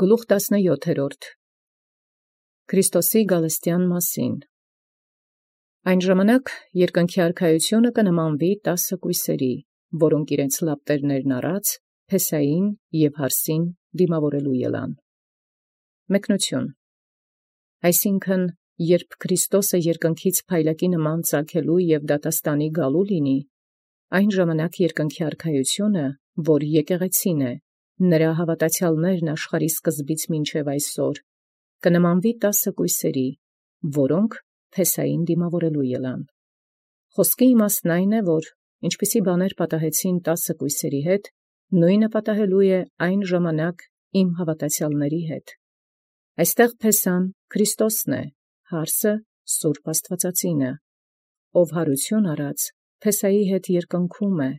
Գլուխ 17 Քրիստոսի գալստեան մասին։ Այն ժամանակ երկնքի արքայությունը կնմանվի 10 կույսերի, որոնք իրենց լապտերներն առած, Փեսային և Հարսին դիմավորելու ելան։ Մեկնություն։ Այսինքն, երբ Քրիստոսը երկնքից փայլակի նման ծագելու և դատաստանի գալու լինի, այն ժամանակ երկնքի արքայությունը, որ եկեղեցին է, նրա հավատացյալներն աշխարհի սկզբից մինչև այսօր, կնմանվի 10 կույսերի, որոնք Փեսային դիմավորելու ելան։ Խոսքի իմաստն այն է, որ ինչպիսի բաներ պատահեցին 10 կույսերի հետ, նույնը պատահելու է այն ժամանակ իմ հավատացյալների հետ։ Այստեղ Փեսան Քրիստոսն է, Հարսը Սուրբ Աստվածածինը, ով հարություն առած Փեսայի հետ երկնքում է,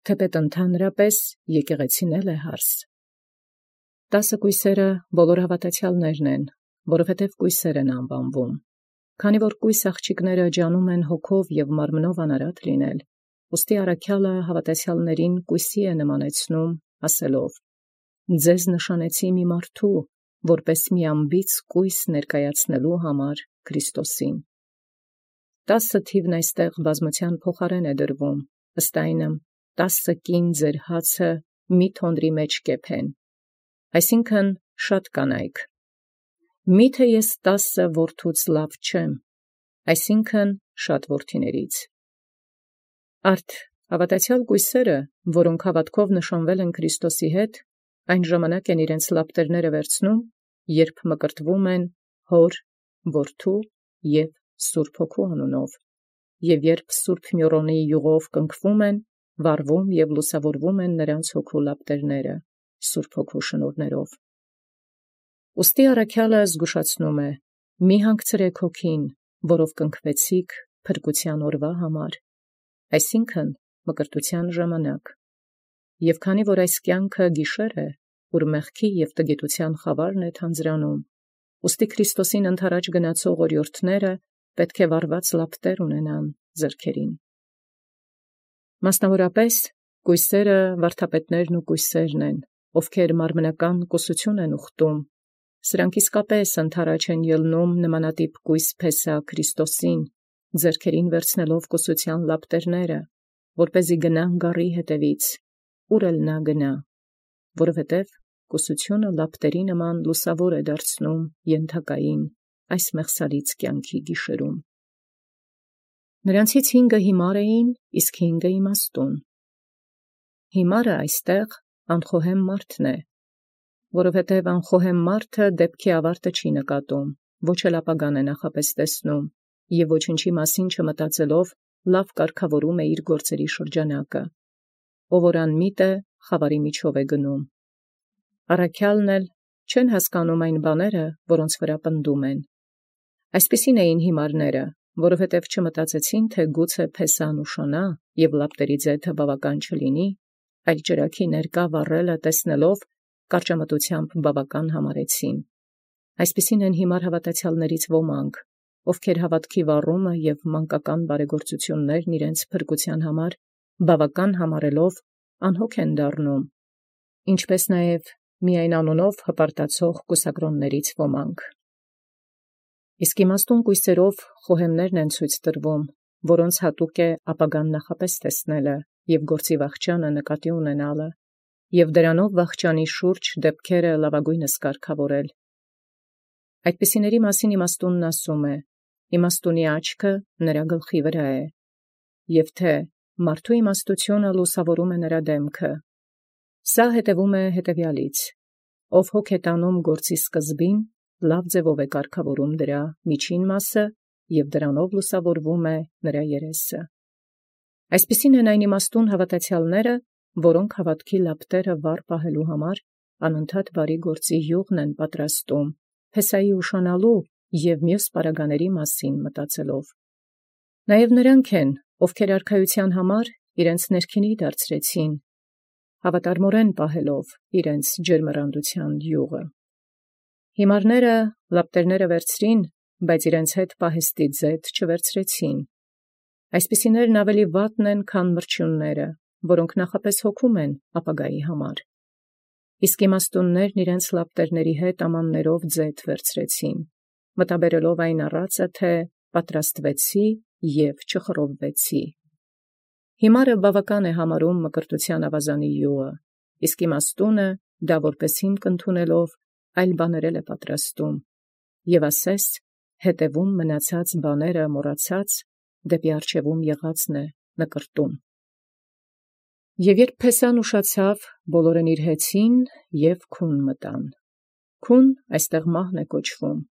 թեպետ ընդհանրապես եկեղեցին էլ է Հարս։ 10 կույսերը բոլոր հավատացյալներն են, որովհետև կույսեր են անվանվում, քանի որ կույս աղջիկները ջանում են հոգով և մարմնով անարատ լինել, ուստի առաքյալը հավատացյալներին կույսի է նմանեցնում, ասելով. «Ձեզ նշանեցի մի մարդու, որպես մի անբիծ կույս ներկայացնելու համար Քրիստոսին»։ 10 թիվն այստեղ բազմության փոխարեն է դրվում, ըստ այնմ 10 կին ձեր հացը մի թոնդրի մեջ կեփեն, այսինքն շատ կանայք։ Միթե ես 10 որդուց լավ չեմ, այսինքն շատ որդիներից։ Արդ հավատացյալ կույսերը, որոնք հավատքով նշանվել են Քրիստոսի հետ, այն ժամանակ են իրենց լապտերները վերցնում, երբ մկրտվում են Հոր, Որդու և Սուրբ Հոգու անունով, և երբ Սուրբ Մյուրոնի յուղով կնքվում են, վառվում և լուսավորվում են նրանց հոգու լապտերները, Սուրբ Հոգու շնորհներով։ Ուստի առաքյալը զգուշացնում է. «Մի հանգցրեք հոգին, որով կնքվեցիք փրկության օրվա համար», այսինքն մկրտության ժամանակ։ Եվ քանի որ այս կյանքը գիշեր է, ուր մեղքի և տգիտության խավարն է թանձրանում, ուստի Քրիստոսին ընդառաջ գնացող օրիորդները պետք է վառված լապտեր ունենան ձեռքերին։ Մասնավորապես, կույսերը վարդապետներն ու կույսերն են, ովքեր մարմնական կուսություն են ուխտում, սրանք իսկապես ընդառաջ են ելնում նմանատիպ կույս Փեսա Քրիստոսին, ձեռքերին վերցնելով կուսության լապտերները, որպեսզի գնան գառի հետևից, ուր էլ նա գնա, որովհետև կուսությունը լապտերի նման լուսավոր է դարձնում ենթակային այս մեղսալից կյանքի գիշերում։ Նրանցից 5 հիմար էին, իսկ 5 իմաստուն։ Հիմարը այստեղ անխոհեմ մարդն է, որովհետև անխոհեմ մարդը դեպքի ավարտը չի նկատում, ոչ էլ ապագան է նախապես տեսնում, և ոչնչի մասին չմտածելով լավ կարգավորում է իր գործերի շրջանակը, ով որ անմիտ է, խավարի միջով է գնում։ Առաքյալն էլ չեն հասկանում այն բաները, որոնց վրա պնդում են։ Այսպիսին էին հիմարները, որովհետև չմտածեցին, թե գուցե Փեսան ուշանա և լապտերի ձեթը բավական չլինի, այլ ճրագի ներկա վառելը տեսնելով կարճամտությամբ բավական համարեցին։ Այսպիսին են հիմար հավատացյալներից ոմանք, ովքեր հավատքի վառումը և մանկական բարեգործություններն իրենց փրկության համար բավական համարելով անհոգ են դառնում, ինչպես նաև միայն անունով հպարտացող կուսակրոններից ոմանք։ Իսկ իմաստուն կույսերով խոհեմներն են ցույց տրվում, որոնց հատուկ է ապագան նախապես տեսնելը և գործի վախճանը նկատի ունենալը, և դրանով վախճանի շուրջ դեպքերը լավագույնս կարգավորել։ Այդպիսիների մասին իմաստունն ասում է. «Իմաստունի աչքը նրա գլխի վրա է», և թե մարդու իմաստությունը լուսավորում է նրա դեմքը։ Սա հետևում է հետևյալից. ով հոգ է տանում գործի սկզբին, լավ ձևով է կարգավորում դրա միջին մասը, և դրանով լուսավորվում է նրա երեսը։ Այսպիսին են այն իմաստուն հավատացյալները, որոնք հավատքի լապտերը վառ պահելու համար անընդհատ բարի գործի յուղն են պատրաստում, Փեսայի ուշանալու և մյուս պարագաների մասին մտածելով։ Նաև նրանք են, ովքեր արքայության համար իրենց ներքինի դարձրեցին, հավատարմորեն պահելով իրենց ջերմեռանդության յուղը։ Հիմարները լապտերները վերցրին, բայց իրենց հետ պահեստի ձեթ չվերցրեցին։ Այսպիսիներն ավելի վատն են, քան մրջյունները, որոնք նախապես հոգում են ապագայի համար։ Իսկ իմաստուններն իրենց լապտերների հետ ամաններով ձեթ վերցրեցին, մտաբերելով այն առածը, թե պատրաստվեցի և չխռովվեցի։ Հիմարը բավական է համարում մկրտության ավազանի յուղը, իսկ իմաստունը դա որպես հիմք ընդունելով այլ բաներել է պատրաստում, և ասես հետևում մնացած բաները մոռացած դեպի առջևում եղածն է նկրտում։ Եվ երբ Փեսան ուշացավ, բոլորն իր հեծին և քուն մտան։ Քուն այստեղ մահն է կոչվում։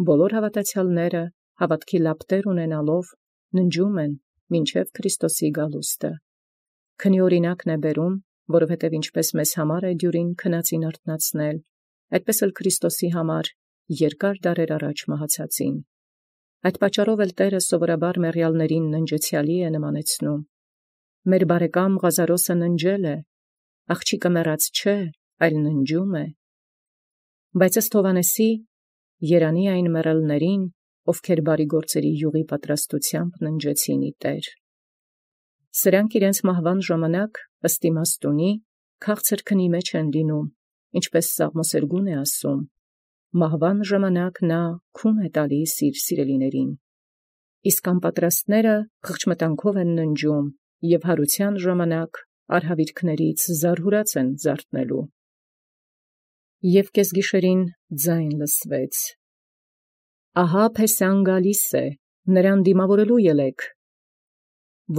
Բոլոր հավատացյալները հավատքի լապտեր ունենալով ննջում են մինչև Քրիստոսի գալուստը։ Քնի օրինակն է բերում, որովհետև ինչպես մեզ համար է դյուրին քնածին արթնացնել, այդպես էլ Քրիստոսի համար երկար դարեր առաջ մահացածին։ Այդ պատճառով էլ Տերը սովորաբար մեռյալներին ննջեցյալի է նմանեցնում։ Մեր բարեկամ Ղազարոսը ննջել է, աղջիկը մեռած չէ, այլ ննջում է։ Բայց ըստ Հովհաննեսի երանի այն մեռելներին, ովքեր բարի գործերի յուղի պատրաստությամբ ննջեցին ի Տեր։ Սրանք իրենց մահվան ժամանակ ըստ իմաստունի քաղցր քնի մեջ են լինում, ինչպես Սաղմոսերգուն է ասում. մահվան ժամանակ նա քուն է տալիս իր սիրելիներին, իսկ անպատրաստները խղճմտանքով են ննջում և հարության ժամանակ արհավիրքներից զարհուրած են զարթնելու։ Եվ կեսգիշերին ձայն լսվեց. ահա Փեսան գալիս է, նրան դիմավորելու ելեք։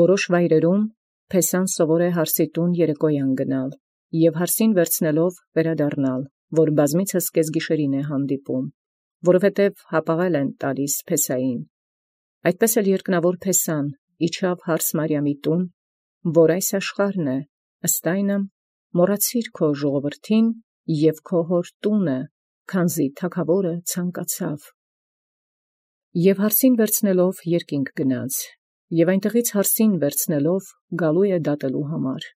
Որոշ վայրերում Փեսան սովոր է հարսիտուն երեկոյան գնալ և հարսին վերցնելով վերադառնալ, որ բազմիցս կեսգիշերին է հանդիպում, որովհետև հապաղել են տալիս Փեսային։ Այդպես էլ երկնավոր Փեսան իջավ հարս Մարիամի տուն, որ այս աշխարհն է, ըստ այնմ մոռացիր քո ժողովրդին և քո հոր տունը, քանզի թագավորը ցանկացավ։ Եվ հարսին վերցնելով երկինք գնաց, և այնտեղից հարսին վերցնելով գալու է դատելու համար,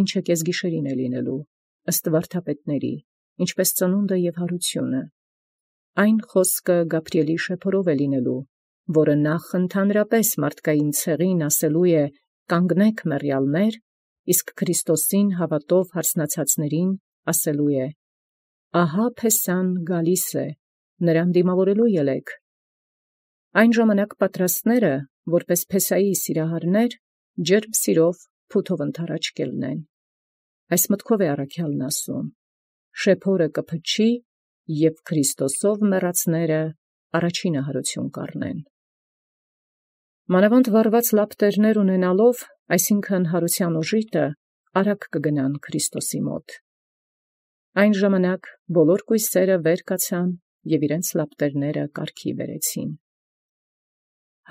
ինչը կեսգիշերին է լինելու, ըստ վարդապետների, ինչպես ծնունդը և հարությունը։ Այն խոսքը Գաբրիելի շեփորով է լինելու, որը նախ ընդհանրապես մարդկային ցեղին ասելու է կանգնեք մեռյալներ, իսկ Քրիստոսին հավատով հարսնացածներին ասելու է. ահա Փեսան գալիս է, նրան դիմավորելու ելեք։ Այն ժամանակ պատրաստները, որպես Փեսայի սիրահարներ, ջերմ սիրով փութով ընդառաջ կելնեն։ Այս մտքով է առաքյալն ասում. շեփորը կփչի, և Քրիստոսով մեռածները առաջինը հարություն կառնեն։ Մանավանդ վառված լապտերներ ունենալով, այսինքն հարության օժիտը, արագ կգնան Քրիստոսի մոտ։ Այն ժամանակ բոլոր կույսերը վեր կացան և իրենց լապտերները կարգի բերեցին։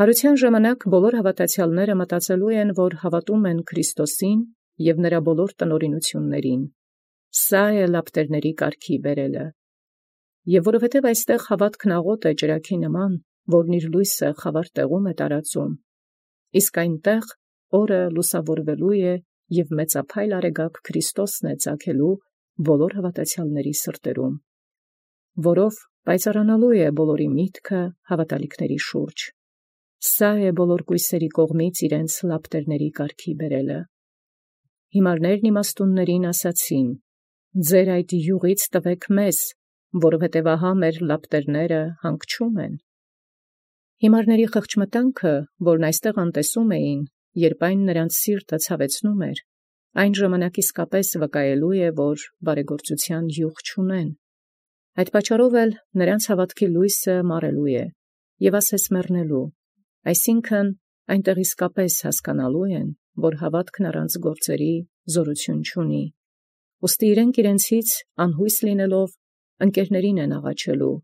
Հարության ժամանակ բոլոր հավատացյալները մտածելու են, որ հավատում են Քրիստոսին և նրա բոլոր տնօրինություններին։ Սա է լապտերների կարգի բերելը։ Եվ որովհետև այստեղ հավատքն աղոտ է ճրագի նման, որն իր լույսը խավար տեղում է տարածում, իսկ այնտեղ օրը լուսավորվելու է և մեծափայլ արեգակ Քրիստոսն է ծագելու բոլոր հավատացյալների սրտերում, որով պայծառանալու է բոլորի միտքը հավատալիքների շուրջ։ Սա է բոլոր կույսերի կողմից իրենց լապտերների կարգի բերելը։ Հիմարներն իմաստուններին ասացին. ձեր այդ յուղից տվեք մեզ, որովհետև ահա մեր լապտերները հանգչում են։ Հիմարների խղճմտանքը, որն այստեղ անտեսում էին, երբ այն նրանց սիրտը ցավեցնում էր, այն ժամանակ իսկապես վկայելու է, որ բարեգործության յուղ չունեն։ Այդ պատճառով էլ նրանց հավատքի լույսը մարելու է և ասես մեռնելու, այսինքն այնտեղ իսկապես հասկանալու են, որ հավատքն առանց գործերի զորություն չունի։ Ուստի իրենք իրենցից անհույս լինելով ընկերներին են աղաչելու,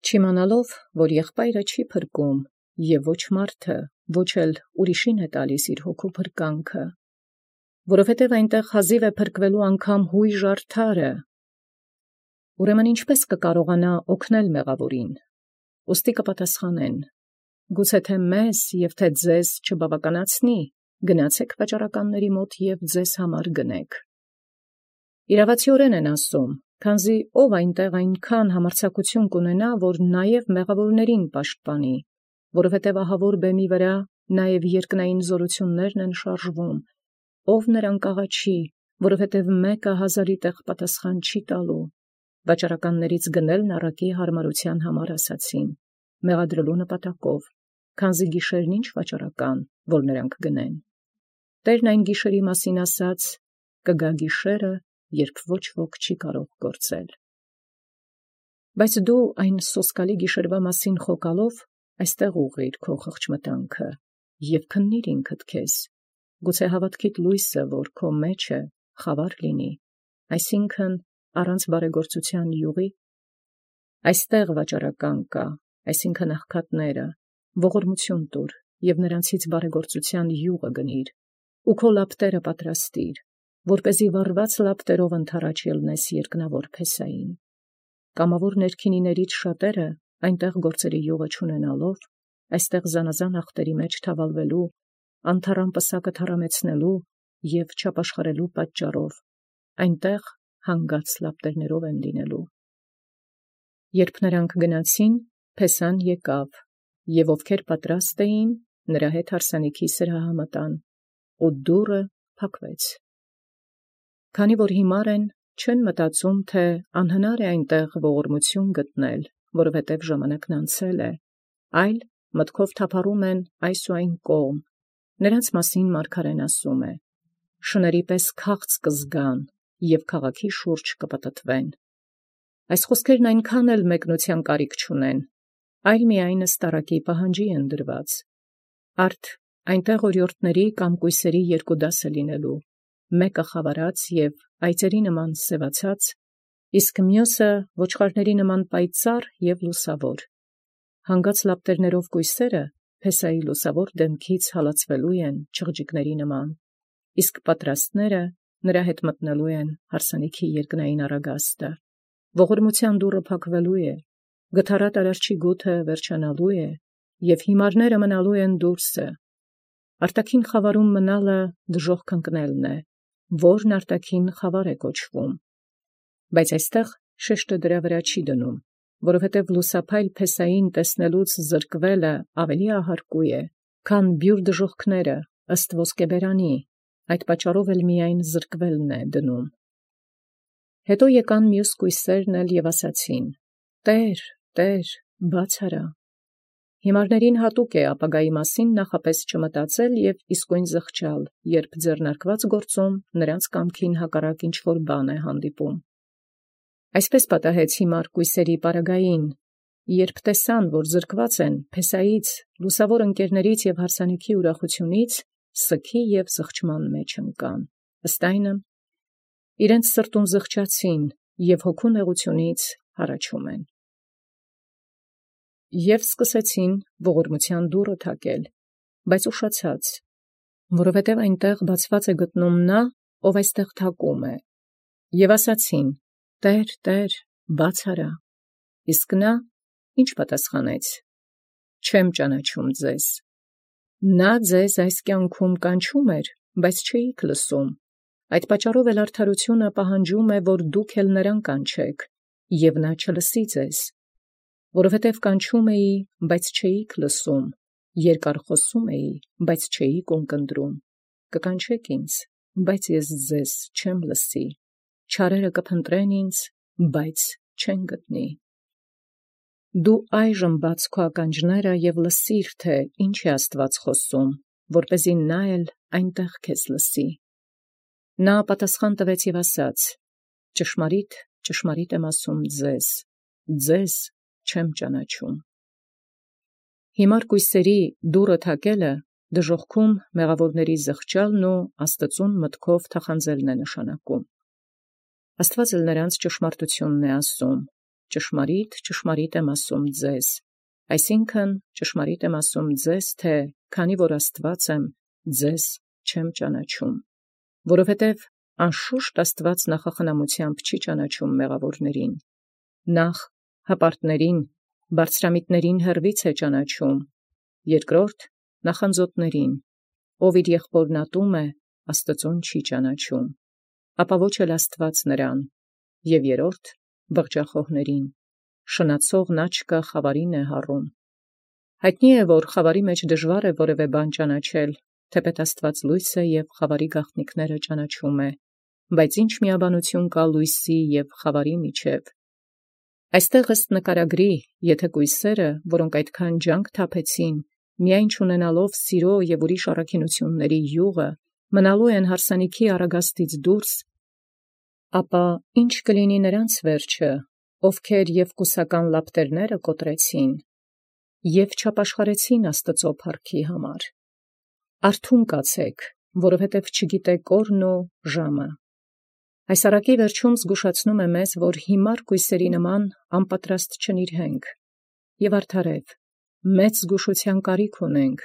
չիմանալով, որ եղբայրը չի փրկում և ոչ մարդը, ոչ էլ ուրիշին է տալիս իր հոգու փրկանքը, որովհետև այնտեղ հազիվ է փրկվելու անգամ հույժ արդարը։ Ուրեմն ինչպես կկարողանա օգնել մեղավորին։ Ուստի կպատասխանեն. գուցե թե մեզ և թե ձեզ չբավականացնի, գնացեք վաճառականների մոտ և ձեզ համար գնեք։ Իրավացիորեն են ասում, քանզի ով այնտեղ այնքան համարձակություն կունենա, որ նաև մեղավորներին պաշտպանի, որովհետև ահավոր բեմի վրա նաև երկնային զորություններն են շարժվում, ով նրան կաղաչի, որովհետև մեկը հազարի տեղ պատասխան չի տալու, վաճառականներից գնելն առակի հարմարության համար ասացին, մեղադրելու նպատակով, քանզի գիշերն ինչ վաճառական, որ նրանք գնեն։ Տերն այն գիշերի մասին ասաց, կգա գիշերը, երբ ոչ ոք չի կարող գործել։ Բայց դու այն սոսկալի գիշերվա մասին խոկալով, այստեղ ուղղիր քո խղճմտանքը և քննիր ինքդ քեզ, գուցե հավատքիդ լույսը, որ քո մեջ է, խավար լինի, այսինքն առանց բարեգործության յուղի։ Այստեղ վաճառական կա, այսինքն աղքատները, ողորմություն տուր և նրանցից բարեգործության յուղը գնիր, ու քո լապտերը պատրաստիր, որպեսզի վառված լապտերով ընդառաջ ելնես երկնավոր փեսային։ Կամավոր ներքինիներից շատերը այնտեղ գործերի յուղը չունենալով, այստեղ զանազան ախտերի մեջ թավալվելու, անթառամ պսակը թառամեցնելու և չապաշխարելու պատճառով, այնտեղ հանգած լապտերներով են լինելու։ Երբ նրանք գնացին, փեսան եկավ, և ովքեր պատրաստ էին, նրա հետ հարսանիքի սրահը մտան, ու դուռը փակվեց։ Քանի որ հիմար են, չեն մտածում, թե անհնար է այնտեղ ողորմություն գտնել, որովհետև ժամանակն անցել է, այլ մտքով թափառում են այս ու այն կողմ։ Նրանց մասին մարգարեն ասում է. շների պես քաղց կզգան և քաղաքի շուրջ կպտտվեն։ Այս խոսքերն այնքան էլ մեկնության կարիք չունեն, այլ միայն ստարակի պահանջի են դրված։ Արդ այնտեղ օրիորդների կամ կույսերի երկու դաս է լինելու, մեկը խավարած և այծերի նման սևացած, իսկ մյուսը ոչխարների նման պայծառ և լուսավոր։ Հանգած լապտերներով կույսերը փեսայի լուսավոր դեմքից հալածվելու են չղջիկների նման, իսկ պատրաստները նրա հետ մտնելու են հարսանիքի երկնային առագաստը։ Ողորմության դուռը փակվելու է, գթառատ արարչի գութը վերջանալու է, և հիմարները մնալու են դուրսը։ Արտաքին խավարում մնալը դժոխք ընկնելն է, որն արտաքին խավար է կոչվում։ Բայց այստեղ շեշտը դրա վրա չի դնում, որովհետև լուսափայլ փեսային տեսնելուց զրկվելը ավելի ահարկու է, քան բյուր դժոխքները ըստ ոսկեբերանի, այդ պատճառով էլ միայն զրկվելն է դնում։ Հետո եկան մյուս կույսերն էլ և ասացին. «Տե՛ր, Տե՛ր, բաց արա»։ Հիմարներին հատուկ է ապագայի մասին նախապես չմտածել և իսկույն զղջալ, երբ ձեռնարկված գործում նրանց կամքին հակառակ ինչ-որ բան է հանդիպում։ Այսպես պատահեց հիմար կույսերի պարագային, երբ տեսան, որ զրկված են փեսայից, լուսավոր ընկերներից և հարսանիքի ուրախությունից, սգի և զղջման մեջ ընկան, ըստ այնը, իրենց սրտում զղջացին և հոգու նեղությունից հառաչում են։ Եվ սկսեցին ողորմության դուռը թակել, բայց ուշացած, որովհետև այնտեղ բացված է գտնում նա, ով այստեղ թակում է, և ասացին. «Տե՛ր, Տե՛ր, բաց արա»։ Իսկ նա ի՞նչ պատասխանեց. «Չեմ ճանաչում ձեզ»։ Նա ձեզ այս կյանքում կանչում էր, բայց չէիք լսում, այդ պատճառով էլ արդարությունը պահանջում է, որ դուք էլ նրան կանչեք, և նա չլսի ձեզ, որովհետև կանչում էի, բայց չէիք լսում, երկար խոսում էի, բայց չէիք ունկնդրում, կկանչեք ինձ, բայց ես ձեզ չեմ լսի, չարերը կփնտրեն ինձ, բայց չեն գտնի։ Դու այժմ բաց քո ականջները և լսիր, թե ինչ է Աստված խոսում, որպեսզի նա էլ այնտեղ քեզ լսի։ Նա պատասխան տվեց և ասաց. ճշմարիտ, ճշմարիտ եմ ասում ձեզ, ձեզ չեմ ճանաչում։ Հիմար կույսերի դուռը թակելը դժոխքում մեղավորների զղջալն ու Աստծուն մտքով թախանձելն է նշանակում։ Աստված էլ նրանց ճշմարտությունն է ասում. ճշմարիտ, ճշմարիտ եմ ասում ձեզ, այսինքն ճշմարիտ եմ ասում ձեզ, թե քանի որ Աստված եմ, ձեզ չեմ ճանաչում, որովհետև անշուշտ Աստված նախախնամությամբ չի ճանաչում մեղավորներին, նախ հպարտներին, բարձրամիտներին հեռվից է ճանաչում, երկրորդ նախանձոտներին, ով իր եղբորն ատում է, Աստծուն չի ճանաչում, ապա ոչ էլ Աստված նրան, և երրորդ բղջախոհներին, շնացողն աչքը խավարին է հառում։ Հայտնի է, որ խավարի մեջ դժվար է որևէ բան ճանաչել, թեպետ Աստված լույս է և խավարի գաղտնիքները ճանաչում է, բայց ինչ միաբանություն կա լույսի և խավարի միջև։ Այստեղ ըստ նկարագրի, եթե կույսերը, որոնք այդքան ջանք թափեցին, միայն չունենալով սիրո և ուրիշ առաքինությունների յուղը, մնալու են հարսանիքի առագաստից դուրս, ապա ինչ կլինի նրանց վերջը, ովքեր և կուսական լապտերները կոտրեցին, և չապաշխարեցին Աստծո փառքի համար։ Արթուն կացեք, որովհետև չգիտեք օրն ու ժամը։ Այս առակի վերջում զգուշացնում է մեզ, որ հիմար կույսերի նման անպատրաստ չնիրհենք, և արդարև, մեծ զգուշության կարիք ունենք,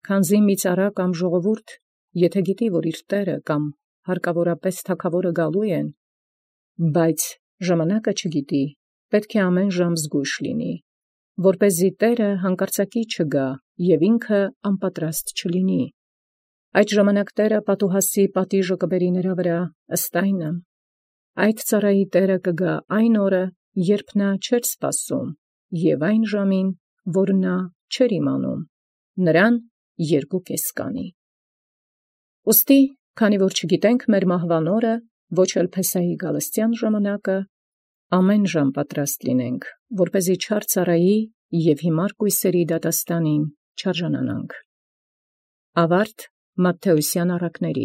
քանզի մի ծառա կամ ժողովուրդ, եթե գիտի, որ իր տերը կամ հարկավորապես թագավորը գալու են, բայց ժամանակը չգիտի, պետք է ամեն ժամ զգույշ լինի, որպեսզի տերը հանկարծակի չգա և ինքը անպատրաստ չլինի։ Այդ ժամանակ տերը պատուհասի պատիժը կբերի նրա վրա ըստ այնը։ Այդ ծառայի տերը կգա այն օրը, երբ նա չէր սպասում, և այն ժամին, որ նա չէր իմանում, նրան 2 կանի։ Ուստի, քանի որ չգիտենք մեր մահվան օրը, ոչ էլ Փեսահի գալստյան ժամանակը, ամեն ժամ պատրաստ լինենք, որպեսզի չար ծառայի և հիմար կույսերի դատաստանին չարժանանանք։ Ավարտ Մատթեոսյան առակների։